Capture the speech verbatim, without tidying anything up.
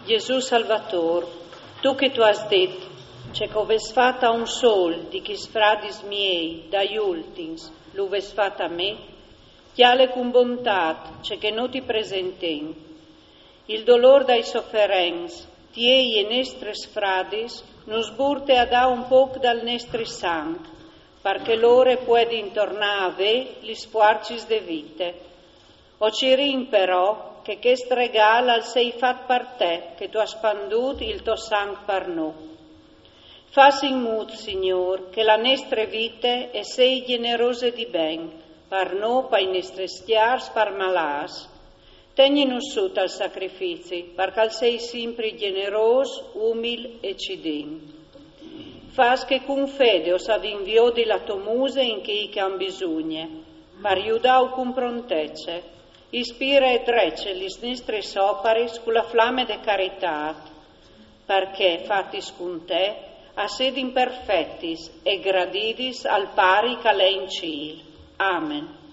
Gesù Salvator, tu che tu âs dit: «Ce che o vês fat a un sol di chis fradis miei dai ultins, lu vês fat a me», cjale cun bontât ce che nô ti presentìn. Il dolôr dai soferents, tiei e nestris fradis, nus burte a dâ un pôc dal nestri sanc, par che lôr a puedin tornâ a vê lis fuarcis de vite. O cirìn però che chest regâl al sei fat par te, che tu âs spandût il to sanc par nô. Fâs in mût, Signôr, che la nestre vite e sei gjenerose di ben, par nô, pai nestris cjârs, par malâts. Tegnìnus sù tal sacrifici, par che al sei simpri gjenerôs, umil e cidin. Fâs che cun fede o savìn viodi la tô muse in chei che a àn bisugne, par judâu cun prontece. Ispire e drece lis nestris oparis cu la flame de caritât, par che, fatis cun te, a sedin perfetis e gradidis al Pari che al è in cîl. Amen.